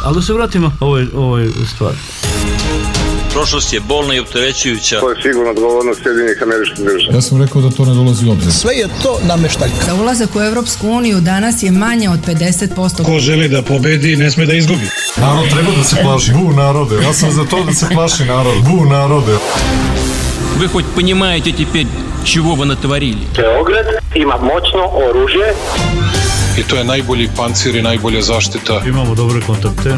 Ali da se vratimo ovoj stvari. Prošlost je bolna i opterećujuća. To je sigurno odgovornost Sjedinjenih Američkih Država. Ja sam rekao da to ne dolazi u obzir. Sve je to nameštaljka. Za ulazak u Evropsku uniju danas je manje od 50%. Ko želi da pobedi, ne sme da izgubi. Narod treba da se plaši. Bu narode. Ja sam za to da se plaši narod. Bu narode. Вы хоть понимаете теперь, чего вы натворили? Beograd ima moćno oružje. I to je najbolji pancir i najbolja zaštita. Imamo dobre kontakte.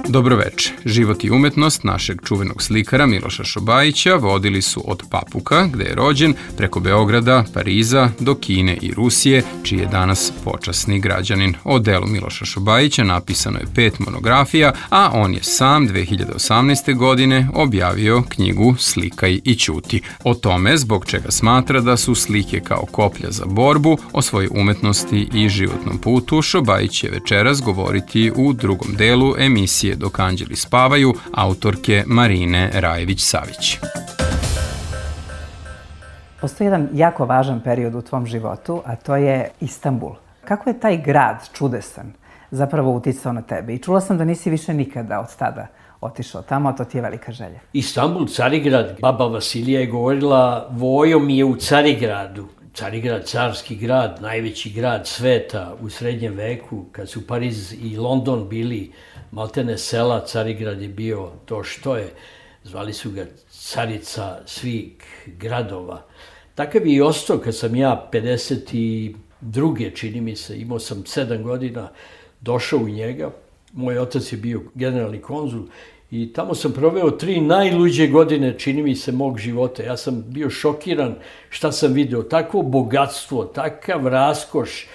Dobroveče. Život i umetnost našeg čuvenog slikara Miloša Šobajića vodili su od Papuka, gde je rođen, preko Beograda, Pariza, do Kine i Rusije, čiji je danas počasni građanin. O delu Miloša Šobajića napisano je 5 monografija, a on je sam 2018. godine objavio knjigu Slikaj i ćuti. O tome zbog čega smatra da su slike kao koplja za borbu, o svojoj umetnosti i životnom putu, Šobajić će večeras govoriti u drugom delu emisije Dok anđeli spavaju, autorke Marine Rajević-Savić. Postoji jedan jako važan period u tvom životu, a to je Istanbul. Kako je taj grad čudesan zapravo uticao na tebe? I čula sam da nisi više nikada od tada otišao tamo, a to ti je velika želja. Istanbul, Carigrad. Baba Vasilija je govorila, vojo mi je u Carigradu. Carigrad, carski grad, najveći grad sveta u srednjem veku, kad su Pariz i London bili maltene sela, Carigrad je bio to što je. Zvali su ga carica svih gradova. Takav je i ostao kad sam ja 52. čini mi se, imao sam 7 godina, došao u njega. Moj otac je bio generalni konzul i tamo sam proveo 3 najluđe godine, čini mi se, mog života. Ja sam bio šokiran šta sam video. Takvo bogatstvo, takav raskoš,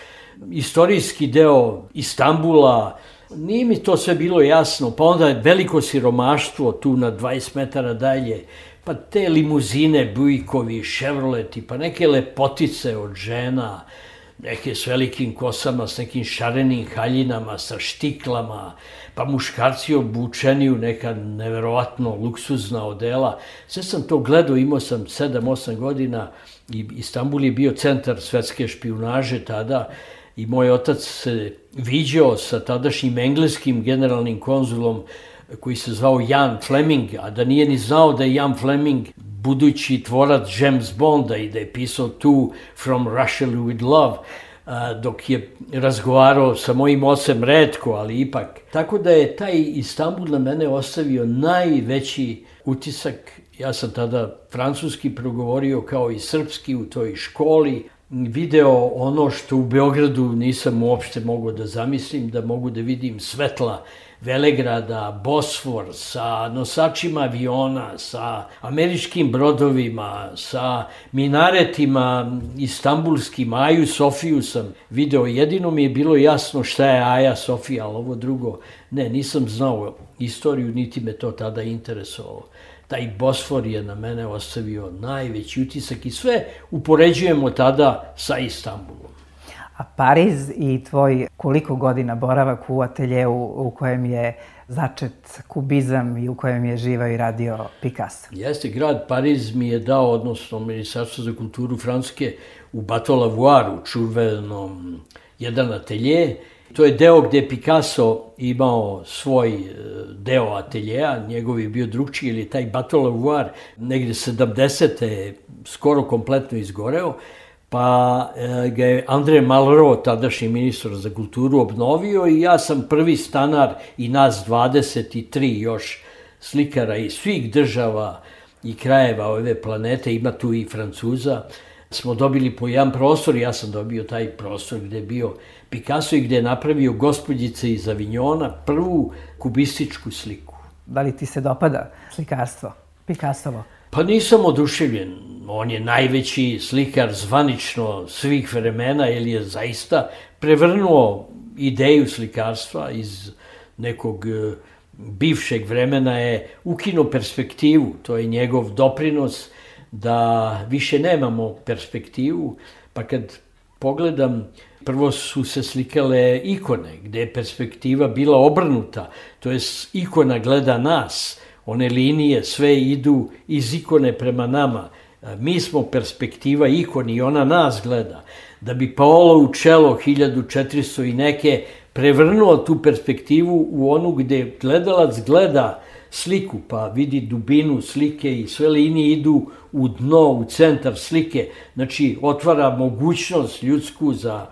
istorijski deo Istanbula. Nije mi to sve bilo jasno. Pa onda je veliko siromaštvo tu na 20 metara dalje. Pa te limuzine, Bujkovi, Chevroleti, pa neke lepotice od žena, neke s velikim kosama, s nekim šarenim haljinama, sa štiklama, pa muškarci obučeni u neka neverovatno luksuzna odela. Sve sam to gledao, imao sam 7-8 godina i Istanbul je bio centar svetske špijunaže tada i moj otac se viđao sa tadašnjim engleskim generalnim konzulom koji se zvao Jan Fleming, a da nije ni znao da je Jan Fleming budući tvorac James Bonda i da je pisao tu From Russia with Love, dok je razgovarao sa mojim ocem retko, ali ipak. Tako da je taj Istanbul na mene ostavio najveći utisak. Ja sam tada francuski progovorio kao i srpski u toj školi, video ono što u Beogradu nisam uopšte mogao da zamislim, da mogu da vidim svetla Velegrada, Bosfor, sa nosačima aviona, sa američkim brodovima, sa minaretima istambulskim. Aju Sofiju sam video. Jedino mi je bilo jasno šta je Aja Sofija, ali ovo drugo ne, nisam znao istoriju, niti me to tada interesovalo. Taj Bosfor je na mene ostavio najveći utisak i sve upoređujemo tada sa Istanbulom. A Pariz i tvoj koliko godina boravak u ateljeu u kojem je začet kubizam i u kojem je živao i radio Picasso? Jeste, grad Pariz mi je dao, odnosno Ministarstvo za kulturu Francuske, u Bateau-Lavoir, čuvenom jedan atelje. To je deo gde je Picasso imao svoj deo ateljeja, njegov je bio drugčiji, ili taj Bateau-Lavoir negde 70. skoro kompletno izgoreo, pa ga je André Malraux, tadašnji ministar za kulturu, obnovio i ja sam prvi stanar i nas 23 još slikara iz svih država i krajeva ove planete, ima tu i Francuza, smo dobili po jedan prostor. Ja sam dobio taj prostor gde je bio Picasso i gde je napravio Gospođice iz Avignona, prvu kubističku sliku. Da li ti se dopada slikarstvo Picassovo? Pa nisam oduševljen. On je najveći slikar zvanično svih vremena, jer je zaista prevrnuo ideju slikarstva iz nekog bivšeg vremena, je ukinuo perspektivu. To je njegov doprinos da više nemamo perspektivu, pa kad pogledam, prvo su se slikale ikone, gde je perspektiva bila obrnuta, to je ikona gleda nas, one linije sve idu iz ikone prema nama. Mi smo perspektiva, ikon i ona nas gleda. Da bi Paolo Uccello 1400 i neke prevrnuo tu perspektivu u onu gde gledalac gleda sliku, pa vidi dubinu slike i sve linije idu u dno, u centar slike. Znači, otvara mogućnost ljudsku za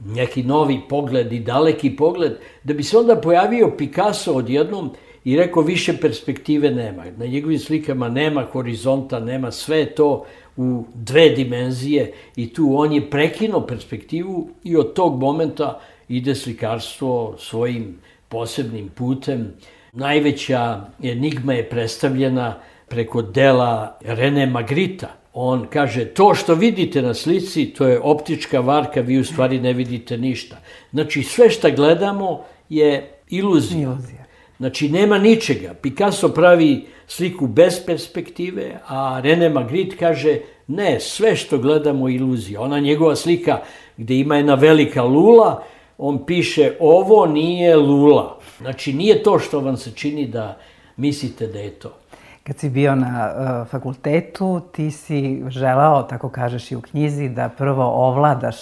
neki novi pogled i daleki pogled, da bi se onda pojavio Picasso odjednom i rekao više perspektive nema. Na njegovim slikama nema horizonta, nema sve to u dve dimenzije i tu on je prekinuo perspektivu i od tog momenta ide slikarstvo svojim posebnim putem. Najveća enigma je predstavljena preko dela René Magritta. On kaže, to što vidite na slici, to je optička varka, vi u stvari ne vidite ništa. Znači, sve što gledamo je iluzija. Znači, nema ničega. Picasso pravi sliku bez perspektive, a René Magritte kaže, ne, sve što gledamo je iluzija. Ona njegova slika gde ima jedna velika lula, on piše, ovo nije lula. Znači, nije to što vam se čini da mislite da je to. Kad si bio na fakultetu, ti si želao, tako kažeš i u knjizi, da prvo ovladaš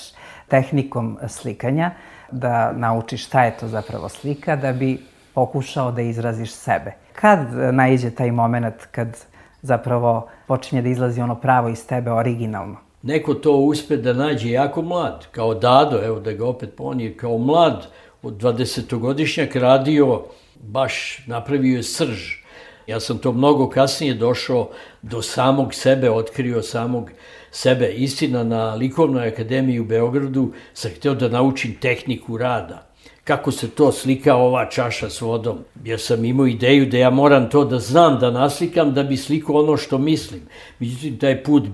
tehnikom slikanja, da naučiš šta je to zapravo slika, da bi pokušao da izraziš sebe. Kad naiđe taj moment kad zapravo počinje da izlazi ono pravo iz tebe, originalno? Neko to uspe da nađe jako mlad, kao Dado, evo da ga opet ponije, kao mlad od 20-godišnjak radio, baš napravio je srž. Ja sam to mnogo kasnije došao do samog sebe, otkrio samog sebe. Istina, na Likovnoj akademiji u Beogradu sam hteo da naučim tehniku rada. Kako se to slika ova čaša s vodom. Ja sam imao ideju da ja moram to da znam, da naslikam, da bi slikao ono što mislim. Međutim, taj put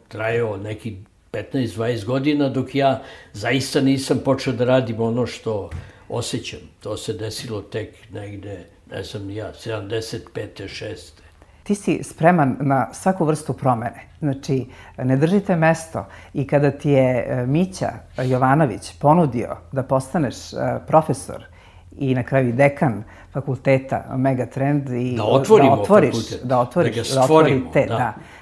trajao neki 15-20 godina dok ja zaista nisam počeo da radim ono što osjećam. To se desilo tek negde, ne znam ni ja, 75. 6. Ti si spreman na svaku vrstu promene. Znači, ne držite mesto i kada ti je Mića Jovanović ponudio da postaneš profesor i na kraju dekan fakulteta Megatrend i da otvoriš fakultet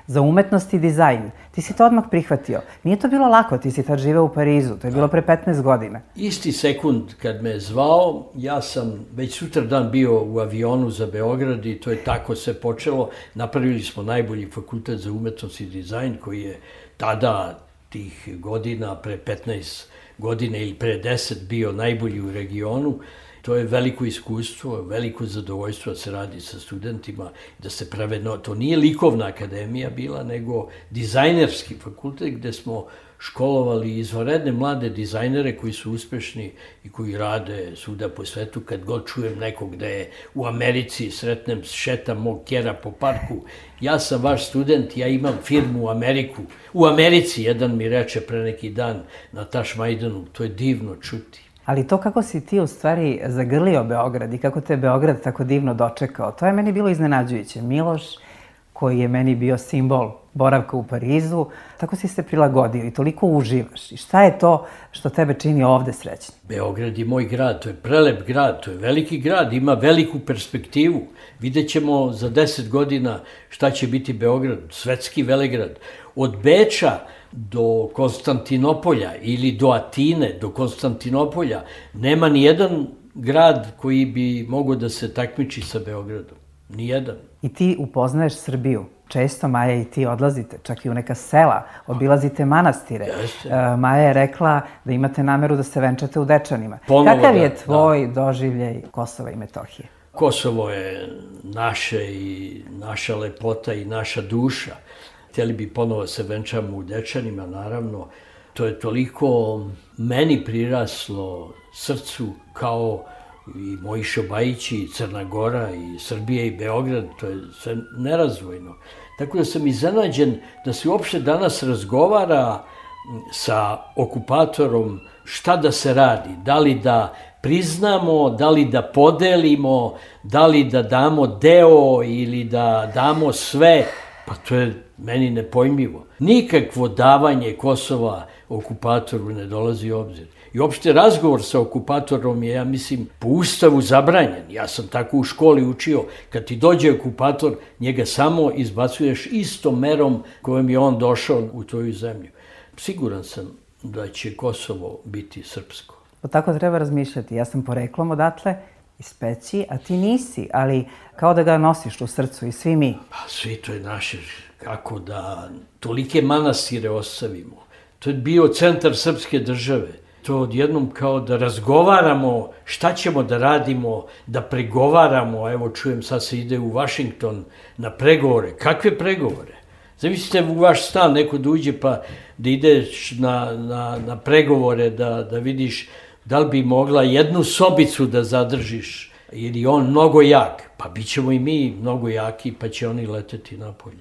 za umetnost i dizajn. Ti si to odmah prihvatio. Nije to bilo lako, ti si tad živeo u Parizu, to je bilo pre 15 godina. Isti sekund kad me je zvao, ja sam već sutradan bio u avionu za Beograd i to je tako se počelo. Napravili smo najbolji fakultet za umetnost i dizajn koji je tada tih godina, pre 15 godina ili pre 10 bio najbolji u regionu. To je veliko iskustvo, veliko zadovoljstvo da se radi sa studentima, da se prave, to nije likovna akademija bila, nego dizajnerski fakultet gde smo školovali izvanredne mlade dizajnere koji su uspešni i koji rade svuda po svetu. Kad god čujem nekog da je u Americi, sretnem, šetam mog kjera po parku, ja sam vaš student, ja imam firmu u Americi, jedan mi reče pre neki dan na Tašmajdanu, to je divno čuti. Ali to kako si ti u stvari zagrlio Beograd i kako te Beograd tako divno dočekao, to je meni bilo iznenađujuće. Miloš, koji je meni bio simbol boravka u Parizu, tako si se prilagodio i toliko uživaš. I šta je to što tebe čini ovde srećnim? Beograd je moj grad, to je prelep grad, to je veliki grad, ima veliku perspektivu. Vidjet ćemo za 10 godina šta će biti Beograd, svetski velegrad. Od Beča do Konstantinopolja ili do Atine, do Konstantinopolja, nema ni jedan grad koji bi mogao da se takmiči sa Beogradom. Nijedan. I ti upoznaješ Srbiju. Često Maja i ti odlazite, čak i u neka sela, obilazite manastire. Maja je rekla da imate nameru da se venčate u Dečanima. Kakav je tvoj doživljaj Kosova i Metohije? Kosovo je naše i naša lepota i naša duša. Htjeli bi ponovo se venčamo u Dečanima, naravno. To je toliko meni priraslo srcu kao i moji Šobajići, i Crna Gora, i Srbija, i Beograd. To je sve nerazvojno. Tako da sam iznenađen da se uopšte danas razgovara sa okupatorom šta da se radi. Da li da priznamo, da li da podelimo, da li da damo deo ili da damo sve. Pa to je meni nepojmljivo. Nikakvo davanje Kosova okupatoru ne dolazi u obzir. I uopšte razgovor sa okupatorom je, ja mislim, po ustavu zabranjen. Ja sam tako u školi učio. Kad ti dođe okupator, njega samo izbacuješ istom merom kojom je on došao u tvoju zemlju. Siguran sam da će Kosovo biti srpsko. Tako treba razmišljati. Ja sam poreklom odatle, iz Peći, a ti nisi, ali kao da ga nosiš u srcu i svi mi. Pa svi to je naše. Kako da tolike manastire ostavimo. To je bio centar srpske države. To odjednom kao da razgovaramo šta ćemo da radimo, da pregovaramo. Evo čujem, sad se ide u Vašington na pregovore. Kakve pregovore? Zamislite u vaš stan neko da uđe pa da ideš na pregovore, da vidiš da li bi mogla jednu sobicu da zadržiš, jer je on mnogo jak. Pa bit ćemo i mi mnogo jaki, pa će oni leteti napolje.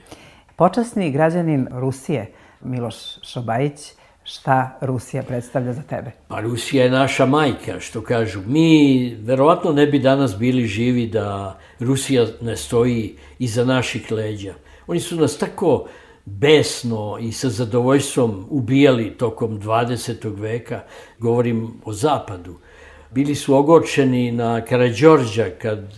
Počasni građanin Rusije, Miloš Šobajić, šta Rusija predstavlja za tebe? Pa Rusija je naša majka, što kažu. Mi verovatno ne bi danas bili živi da Rusija ne stoji iza naših leđa. Oni su nas tako besno i sa zadovoljstvom ubijali tokom 20. veka, govorim o zapadu. Bili su ogorčeni na Karađorđa kad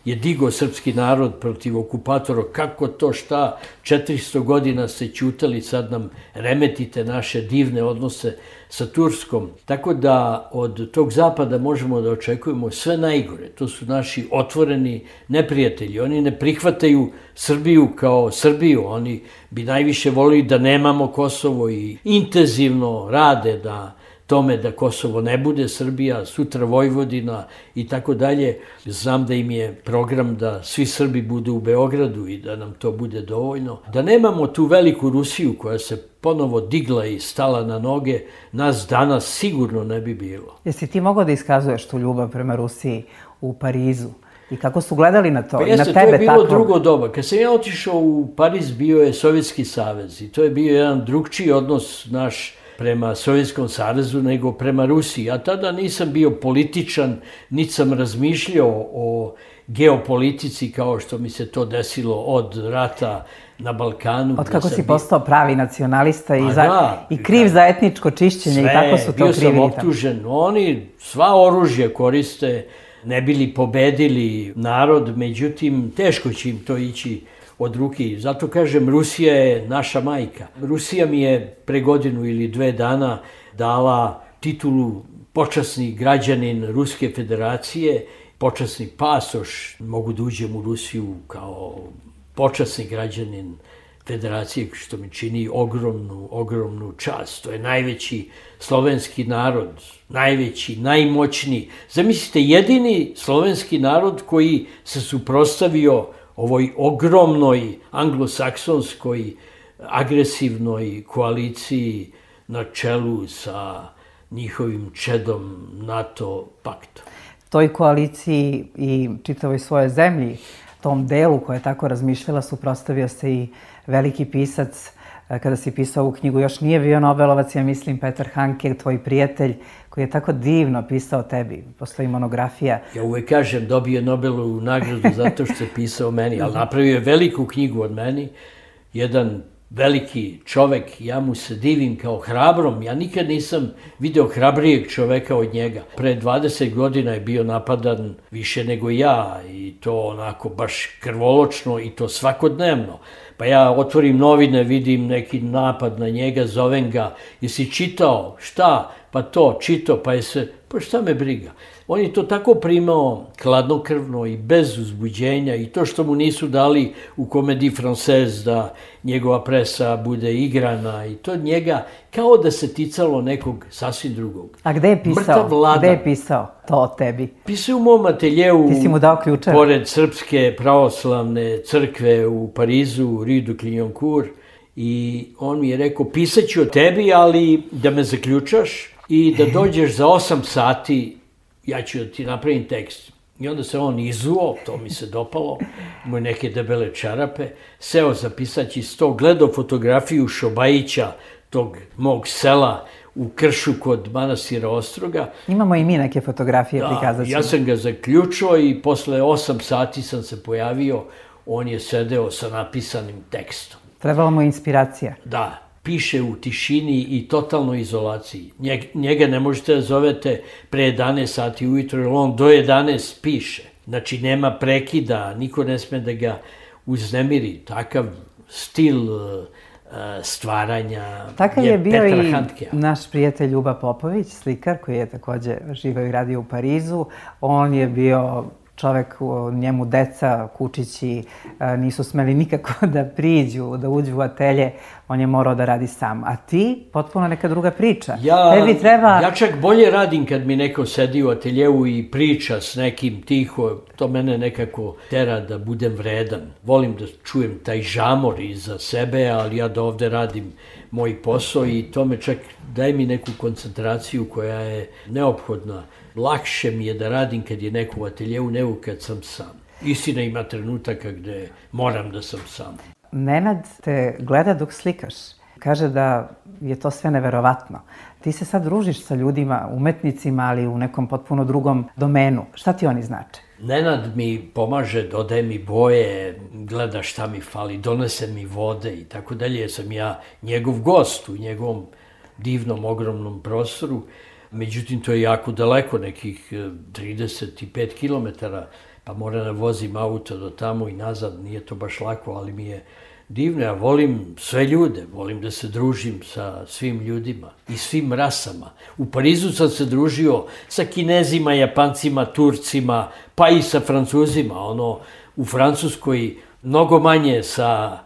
je digao srpski narod protiv okupatora. Kako to, šta, 400 godina ste ćutali, sad nam remetite naše divne odnose sa Turskom. Tako da od tog zapada možemo da očekujemo sve najgore. To su naši otvoreni neprijatelji. Oni ne prihvataju Srbiju kao Srbiju. Oni bi najviše volili da nemamo Kosovo i intenzivno rade da tome da Kosovo ne bude Srbija, sutra Vojvodina i tako dalje. Znam da im je program da svi Srbi budu u Beogradu i da nam to bude dovoljno. Da nemamo tu veliku Rusiju koja se ponovo digla i stala na noge, nas danas sigurno ne bi bilo. Jesi ti mogao da iskazuješ tu ljubav prema Rusiji u Parizu? I kako su gledali na to? Pa jeste, to je bilo drugo doba. Kad sam ja otišao u Pariz, bio je Sovjetski savez i to je bio jedan drugčiji odnos naš prema Sovjetskom savezu nego prema Rusiji. Ja tada nisam bio političan, niti sam razmišljao o geopolitici kao što mi se to desilo od rata na Balkanu. Od kako si postao pravi nacionalista i kriv za etničko čišćenje i tako su to krivili. Bio sam optužen. Oni sva oružja koriste, ne bili pobedili narod, međutim teško će im to ići od ruke. Zato kažem, Rusija je naša majka. Rusija mi je pre godinu ili 2 dana dala titulu počasni građanin Ruske federacije, počasni pasoš. Mogu da uđem u Rusiju kao počasni građanin federacije, što mi čini ogromnu čast. To je najveći slovenski narod, najveći, najmoćniji. Zamislite, jedini slovenski narod koji se suprotstavio ovoj ogromnoj anglosaksonskoj agresivnoj koaliciji na čelu sa njihovim čedom NATO pakta. Toj koaliciji i čitavoj svojoj zemlji, tom delu koja je tako razmišljala, suprotstavio se i veliki pisac. Kada si pisao ovu knjigu, još nije bio Nobelovac, ja mislim, Petar Handke, tvoj prijatelj, koji je tako divno pisao o tebi. Postoji monografija. Ja uvek kažem, dobio je Nobelovu nagradu zato što je pisao o meni, ali napravio je veliku knjigu od meni. Jedan veliki čovek, ja mu se divim kao hrabrom. Ja nikad nisam video hrabrijeg čoveka od njega. Pre 20 godina je bio napadan više nego ja i to onako baš krvoločno i to svakodnevno. Pa ja otvorim novine, vidim neki napad na njega, zovem ga, jesi čitao? Šta? Pa to, čitao, pa šta me briga? On je to tako primao hladnokrvno i bez uzbuđenja i to što mu nisu dali u Comédie Française da njegova presa bude igrana i to njega kao da se ticalo nekog sasvim drugog. A gde je pisao? Gde je pisao to o tebi? Pisao u mom ateljeu, ti si mu dao ključeve? Pored Srpske pravoslavne crkve u Parizu, Rue de Clignancourt, i on mi je rekao, pisat ću o tebi, ali da me zaključaš i da dođeš za 8 sati, ja ću da ti napravim tekst. I onda se on izuo, to mi se dopalo, imao neke debele čarape, seo za pisaći sto, gledao fotografiju Šobajića, tog mog sela u Kršu kod manastira Ostroga. Imamo i mi neke fotografije, prikazat ćemo. Ja sam ga zaključio i posle 8 sati sam se pojavio, on je sedeo sa napisanim tekstom. Trebala mu je inspiracija. Da, piše u tišini i totalnoj izolaciji. Njega ne možete da zovete pre 11 sati ujutro, jer on do 11 piše. Znači, nema prekida, niko ne sme da ga uznemiri. Takav stil stvaranja Takav je bio Petra i Handkea. naš prijatelj Ljuba Popović, slikar koji je takođe živeo i radio u Parizu. On je bio čovek, njemu deca, kučići, nisu smeli nikako da priđu, da uđu u atelje, on je morao da radi sam. A ti, potpuno neka druga priča. Tebi treba... Ja čak bolje radim kad mi neko sedi u ateljevu i priča s nekim tiho, to mene nekako tera da budem vredan. Volim da čujem taj žamor iza sebe, ali ja da ovde radim moj posao i to me čak daje mi neku koncentraciju koja je neophodna. Lakše mi je da radim kad je neko u ateljevu nego kad sam sam. Istina, ima trenutaka gde moram da sam sam. Nenad te gleda dok slikaš. Kaže da je to sve neverovatno. Ti se sad družiš sa ljudima, umetnicima, ali u nekom potpuno drugom domenu. Šta ti oni znače? Nenad mi pomaže, dodaje mi boje, gleda šta mi fali, donese mi vode i tako dalje. Jer sam ja njegov gost u njegovom divnom, ogromnom prostoru. Međutim, to je jako daleko, nekih 35 kilometara, pa moram da vozim auto do tamo i nazad, nije to baš lako, ali mi je divno. Ja volim sve ljude, volim da se družim sa svim ljudima i svim rasama. U Parizu sam se družio sa Kinezima, Japancima, Turcima, pa i sa Francuzima. U Francuskoj mnogo manje sa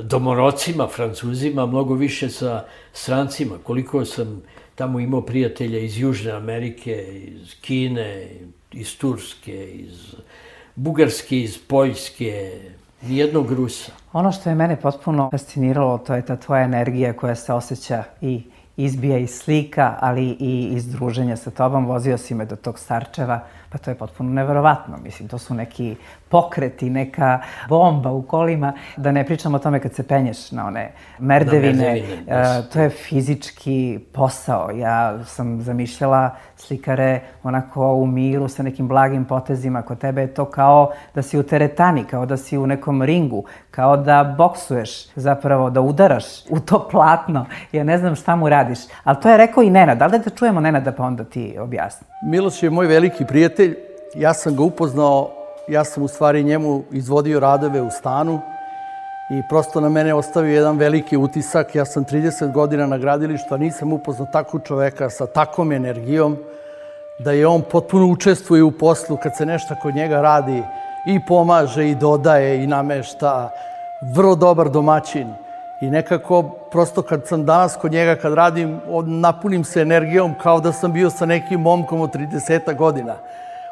domorocima, Francuzima, mnogo više sa strancima. Koliko sam tamo imao prijatelja iz Južne Amerike, iz Kine, iz Turske, iz Bugarske, iz Poljske, nijednog Rusa. Ono što je mene potpuno fasciniralo, to je ta tvoja energija koja se osjeća i izbija iz slika, ali i iz druženja sa tobom. Vozio si me do tog Starčeva, pa to je potpuno neverovatno. Mislim, to su neki pokreti, neka bomba u kolima. Da ne pričam o tome kad se penješ na one merdevine. To je fizički posao. Ja sam zamišljala slikare onako u miru sa nekim blagim potezima. Kod tebe je to kao da si u teretani, kao da si u nekom ringu, kao da boksuješ, zapravo da udaraš u to platno. Ja ne znam šta mu radiš. Ali to je rekao i Nenad. Da li da čujemo Nenada pa onda ti objasni? Miloš je moj veliki prijatelj. Ja sam ga upoznao, ja sam u stvari njemu izvodio radove u stanu i prosto na mene ostavio jedan veliki utisak. Ja sam 30 godina na gradilištu, a nisam upoznao takvog čoveka sa takvom energijom, da je on potpuno učestvuje u poslu kad se nešto kod njega radi i pomaže i dodaje i namešta. Vrlo dobar domaćin i nekako prosto kad sam danas kod njega, kad radim, napunim se energijom kao da sam bio sa nekim momkom od 30 godina.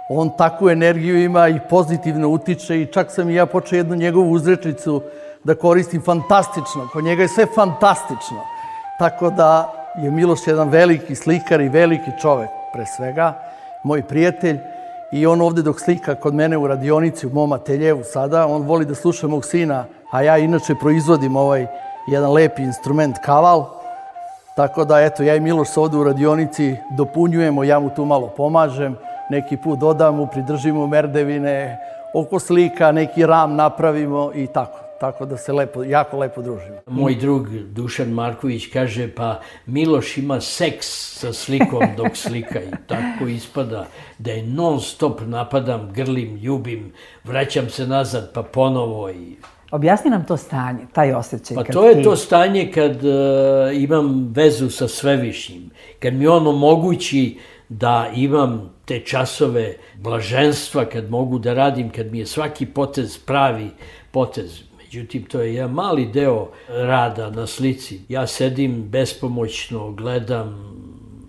On takvu energiju ima i pozitivno utiče i čak sam i ja počeo jednu njegovu uzrečicu da koristim, fantastično. Kod njega je sve fantastično. Tako da je Miloš jedan veliki slikar i veliki čovek, pre svega, moj prijatelj. I on ovde dok slika kod mene u radionici, u mom ateljevu sada, on voli da sluša mog sina, a ja inače proizvodim ovaj jedan lepi instrument kaval. Tako da, eto, ja i Miloš se ovde u radionici dopunjujemo, ja mu tu malo pomažem, neki put dodam mu, pridržimo merdevine, oko slika, neki ram napravimo i tako. Tako da se jako lepo družimo. Moj drug Dušan Marković kaže, pa Miloš ima seks sa slikom dok slika i tako ispada da je non stop napadam, grlim, ljubim, vraćam se nazad pa ponovo i... Objasni nam to stanje, taj osjećaj. Pa to je to stanje kad imam vezu sa Svevišnjim, kad mi on omogući da imam te časove blaženstva, kad mogu da radim, kad mi je svaki potez pravi potez. Međutim, to je jedan mali deo rada na slici. Ja sedim bespomoćno, gledam,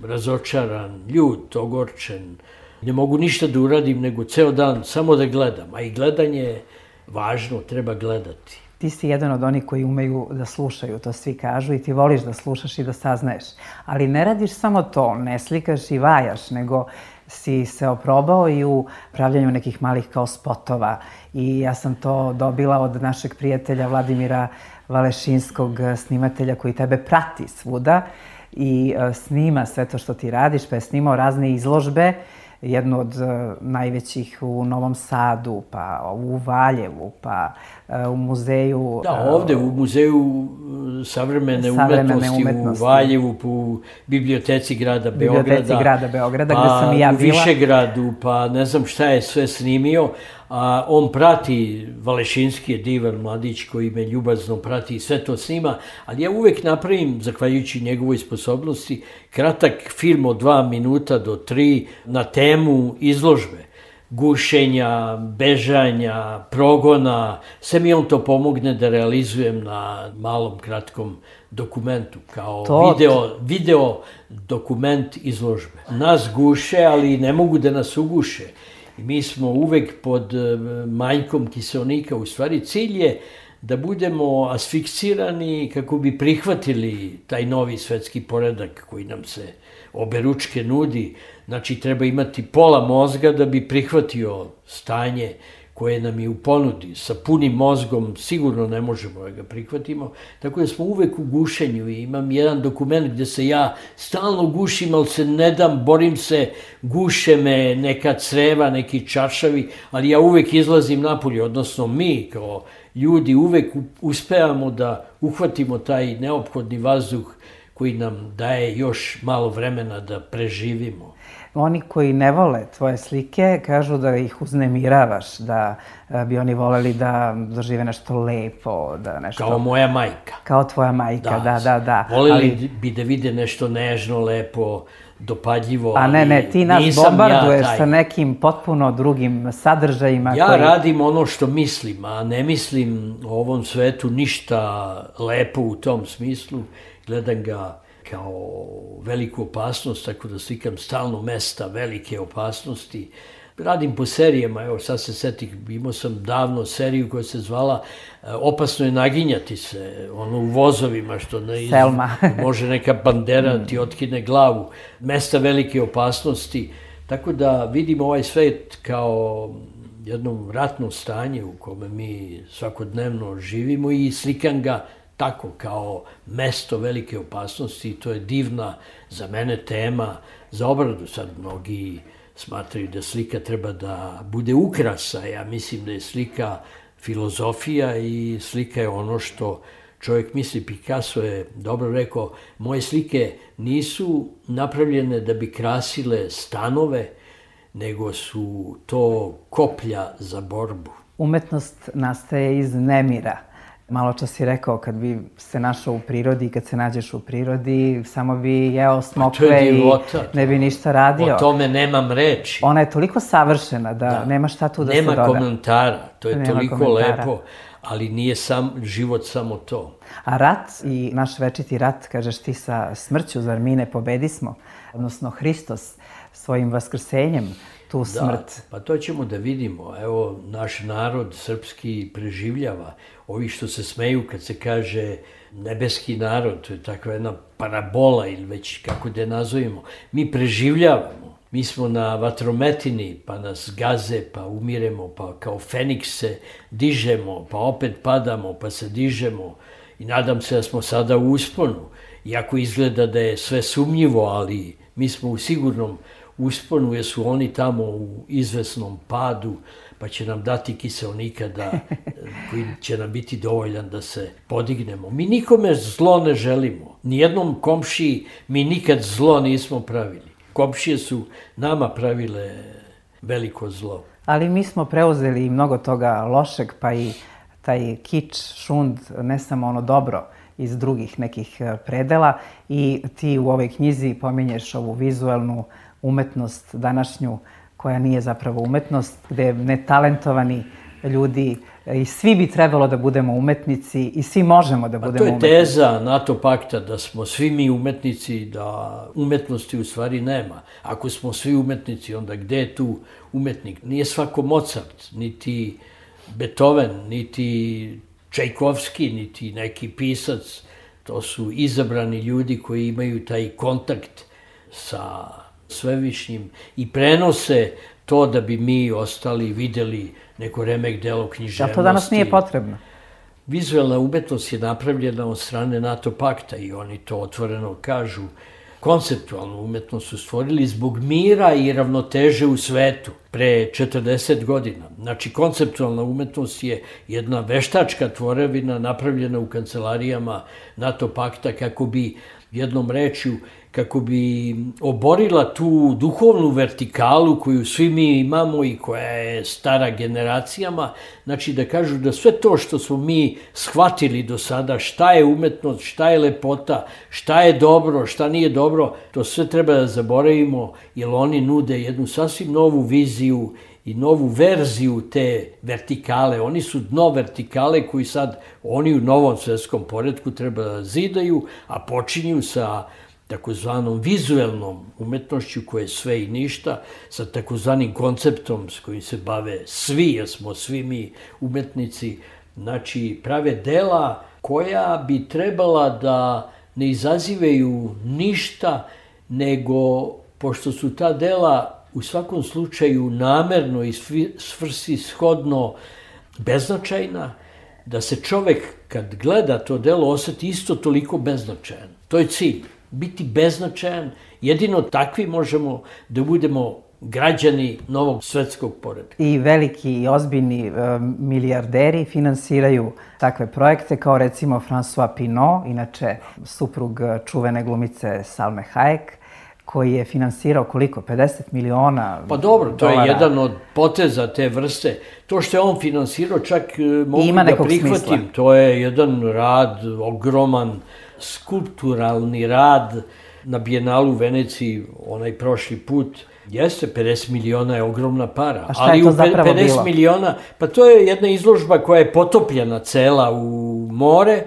razočaran, ljut, ogorčen. Ne mogu ništa da uradim, nego ceo dan samo da gledam. A i gledanje je važno, treba gledati. Ti si jedan od onih koji umeju da slušaju, to svi kažu, i ti voliš da slušaš i da saznaješ. Ali ne radiš samo to, ne slikaš i vajaš, nego si se oprobao i u pravljanju nekih malih kao spotova. I ja sam to dobila od našeg prijatelja Vladimira Valešinskog, snimatelja koji tebe prati svuda i snima sve to što ti radiš, pa je snimao razne izložbe jednu od najvećih u Novom Sadu, pa u Valjevu, pa u muzeju... Da, ovde u muzeju savremene umetnosti u Valjevu, u biblioteci grada Beograda, gde sam i ja bila. U Višegradu, pa ne znam šta je sve snimio. A on prati, Valešinski je divan mladić koji me ljubazno prati i sve to snima, ali ja uvek napravim, zahvaljujući njegovoj sposobnosti, kratak film od 2 minuta do 3 na temu izložbe. Gušenja, bežanja, progona, sve mi on to pomogne da realizujem na malom, kratkom dokumentu, kao video dokument izložbe. Nas guše, ali ne mogu da nas uguše. I mi smo uvek pod manjkom kiseonika. U stvari, cilj je da budemo asfiksirani kako bi prihvatili taj novi svetski poredak koji nam se oberučke nudi. Znači, treba imati pola mozga da bi prihvatio stanje koje nam je u ponudi. Sa punim mozgom sigurno ne možemo da ga prihvatimo. Tako da smo uvek u gušenju i imam jedan dokument gde se ja stalno gušim, ali se ne dam, borim se, guše me neka creva, neki čaršavi, ali ja uvek izlazim napolje, odnosno mi kao ljudi uvek uspevamo da uhvatimo taj neophodni vazduh koji nam daje još malo vremena da preživimo. Oni koji ne vole tvoje slike kažu da ih uznemiravaš, da bi oni voleli da dožive nešto lepo, da nešto... Kao moja majka. Kao tvoja majka, da. Voleli bi da vide nešto nežno, lepo, dopadljivo, ali nisam ja taj. A ne, ti nas bombarduješ sa nekim potpuno drugim sadržajima. Ja radim ono što mislim, a ne mislim o ovom svetu ništa lepo u tom smislu. Gledam ga kao veliku opasnost, tako da slikam stalno mesta velike opasnosti. Radim po serijama, evo sad se setim, imao sam davno seriju koja se zvala Opasno je naginjati se, ono u vozovima što može neka bandera ti otkine glavu. Mesta velike opasnosti, tako da vidim ovaj svet kao jedno ratno stanje u kome mi svakodnevno živimo i slikam ga tako kao mesto velike opasnosti i to je divna za mene tema za obradu. Sad mnogi smatraju da slika treba da bude ukrasa. Ja mislim da je slika filozofija i slika je ono što čovjek misli. Picasso je dobro rekao, moje slike nisu napravljene da bi krasile stanove, nego su to koplja za borbu. Umetnost nastaje iz nemira. Malo čas si rekao, kad bi se našao u prirodi i kad se nađeš u prirodi, samo bi jeo smokve i ne bi ništa radio. O tome nemam reči. Ona je toliko savršena da nema šta tu da se doda. Nema komentara, to je toliko lepo, ali nije život samo to. A rat i naš večiti rat, kažeš ti sa smrću, zar mi ne pobedismo? Odnosno Hristos svojim vaskrsenjem tu smrt. Da, pa to ćemo da vidimo. Evo, naš narod srpski preživljava. Ovi što se smeju kad se kaže nebeski narod, to je takva jedna parabola ili već kako da je nazovemo. Mi preživljavamo. Mi smo na vatrometini, pa nas gaze, pa umiremo, pa kao Feniks se dižemo, pa opet padamo, pa se dižemo. I nadam se da smo sada u usponu. Iako izgleda da je sve sumnjivo, ali mi smo u sigurnom usponu, jer su oni tamo u izvesnom padu, pa će nam dati kiseonika koji će nam biti dovoljan da se podignemo. Mi nikome zlo ne želimo. Nijednom komšiji mi nikad zlo nismo pravili. Komšije su nama pravile veliko zlo. Ali mi smo preuzeli mnogo toga lošeg, pa i taj kič, šund, ne samo ono dobro iz drugih nekih predela. I ti u ovoj knjizi pominješ ovu vizualnu umetnost današnju, koja nije zapravo umetnost, gde netalentovani ljudi i svi bi trebalo da budemo umetnici i svi možemo da budemo umetnici. To je teza NATO pakta da smo svi mi umetnici, da umetnosti u stvari nema. Ako smo svi umetnici, onda gde je tu umetnik? Nije svako Mozart, niti Beethoven, niti Čajkovski, niti neki pisac. To su izabrani ljudi koji imaju taj kontakt sa svevišnjim i prenose to da bi mi ostali videli neko remek delo književnosti. Da to danas nije potrebno? Vizualna umetnost je napravljena od strane NATO pakta i oni to otvoreno kažu. konceptualnu umetnost su stvorili zbog mira i ravnoteže u svetu pre 40 godina. Znači, konceptualna umetnost je jedna veštačka tvorevina napravljena u kancelarijama NATO pakta kako bi, jednom rečju, kako bi oborila tu duhovnu vertikalu koju svi mi imamo i koja je stara generacijama. Znači, da kažu da sve to što smo mi shvatili do sada, šta je umetnost, šta je lepota, šta je dobro, šta nije dobro, to sve treba da zaboravimo, jer oni nude jednu sasvim novu viziju i novu verziju te vertikale. Oni su dno vertikale koji sad oni u novom svetskom poretku treba da zidaju, a počinju sa takozvanom vizuelnom umetnošću koja je sve i ništa, sa takozvanim konceptom s kojim se bave svi, jer smo svi mi umetnici, znači prave dela koja bi trebala da ne izazivaju ništa, nego pošto su ta dela u svakom slučaju namerno i svrsishodno beznačajna, da se čovek kad gleda to delo oseti isto toliko beznačajan. To je cilj. Biti beznačajan, jedino takvi možemo da budemo građani novog svetskog poretka. I veliki i ozbiljni milijarderi finansiraju takve projekte, kao recimo François Pinault, inače suprug čuvene glumice Salme Hayek, koji je finansirao koliko? 50 miliona Pa dobro, to dolara. je jedan od poteza te vrste. To što je on finansirao, čak mogu da prihvatim. Smisla. To je jedan rad, ogroman, skulpturalni rad na Bijenalu u Veneciji, onaj prošli put. Jeste, 50 miliona je ogromna para. A šta je to zapravo bilo? 50 miliona, pa to je jedna izložba koja je potopljena cela u more,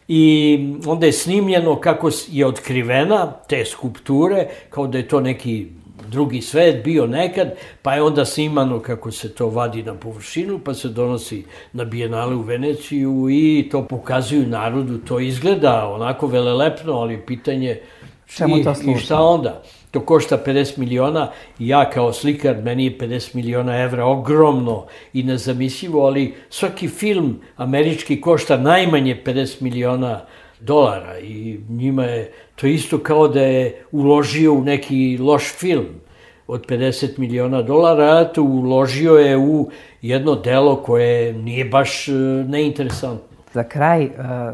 i onda je snimljeno kako je otkrivena te skulpture, kao da je to neki drugi svet bio nekad, pa je onda snimano kako se to vadi na površinu, pa se donosi na Bijenale u Veneciju i to pokazuju narodu. To izgleda onako velelepno, ali pitanje čemu to služi? I šta onda? To košta 50 miliona i ja kao slikar, meni je 50 miliona evra ogromno i nezamislivo, ali svaki film američki košta najmanje 50 miliona dolara i njima je to isto kao da je uložio u neki loš film od 50 miliona dolara, a to uložio je u jedno delo koje nije baš neinteresantno. Za kraj,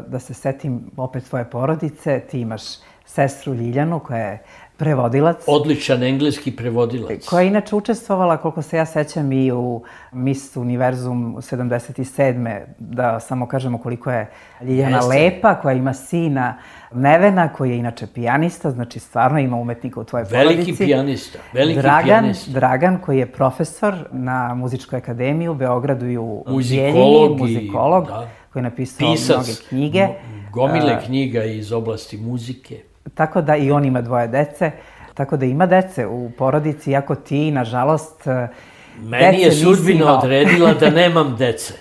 da se setim opet tvoje porodice, ti imaš sestru Ljiljanu koja je prevodilac. Odličan engleski prevodilac. Koja je inače učestvovala, koliko se ja sećam, i u Miss Univerzum 77. Da samo kažemo koliko je Ljiljana lepa, koja ima sina Nevena, koji je inače pijanista, znači stvarno ima umetnika u tvojoj porodici. Veliki pijanista, pijanista. Dragan, koji je profesor na Muzičkoj akademiji u Beogradu i u muzikolog, koji je napisao mnoge knjige. Gomile knjiga iz oblasti muzike. Tako da i on ima 2 dece, tako da ima dece u porodici, iako ti, nažalost, meni je sudbina odredila da nemam dece.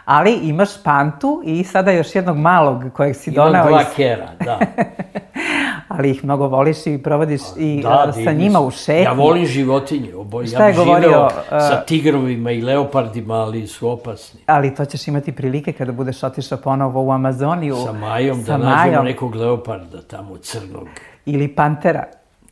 Ali imaš Pantu i sada još jednog malog kojeg si doneo. Imam 2 kera, da. Ali ih mnogo voliš i provodiš i sa njima u šetnji. Ja volim životinje. Ja bih živeo sa tigrovima i leopardima, ali su opasni. Ali to ćeš imati prilike kada budeš otišao ponovo u Amazoniju. Sa Majom, da nađemo nekog leoparda tamo crnog. Ili pantera.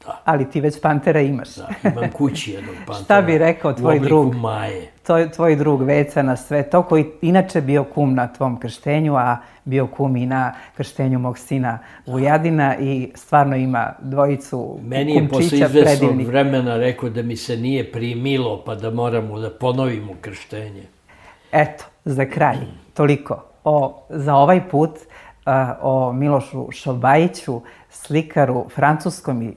Da. Ali ti već pantera imaš. Da, imam kući jednog pantera. Šta bi rekao tvoj drug? U obliku Maje. Tvoj drug Veca na sve to, koji inače bio kum na tvom krštenju, a bio kum i na krštenju mog sina Vujadina i stvarno ima 2 kumčića. Meni je posle izvesnog vremena rekao da mi se nije primilo, pa da moramo da ponovimo krštenje. Eto, za kraj, toliko za ovaj put o Milošu Šobajiću, slikaru francuskom i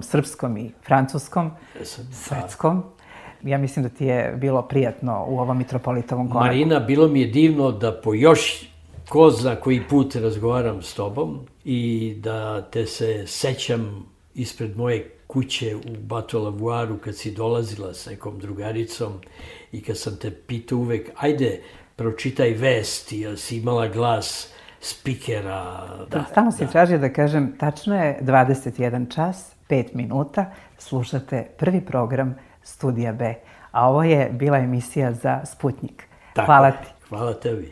srpskom i francuskom, svetskom. Ja mislim da ti je bilo prijatno u ovom Mitropolitovom konaku. Marina, bilo mi je divno da po još ko zna koji put razgovaram s tobom i da te se sećam ispred moje kuće u Batolavuaru kad si dolazila s nekom drugaricom i kad sam te pitao uvek, ajde, pročitaj vesti, jer si imala glas spikera. Stalno si tražio da kažem, tačno je 21 čas, 5 minuta, slušate prvi program Studija B, a ovo je bila emisija za Sputnjik. Hvala ti. Hvala tebi.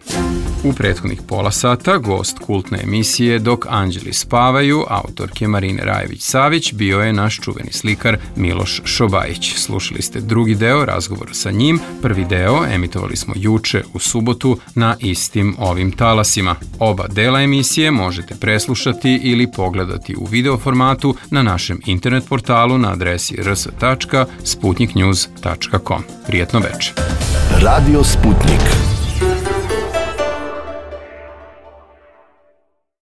U prethodnih pola sata gost kultne emisije Dok anđeli spavaju, autorke Marine Rajević-Savić, bio je naš čuveni slikar Miloš Šobajić. Slušali ste drugi deo razgovora sa njim. Prvi deo emitovali smo juče u subotu na istim ovim talasima. Oba dela emisije možete preslušati ili pogledati u video formatu na našem internet portalu na adresi rs.sputniknews.com. Prijetno večer. Radio Sputnik.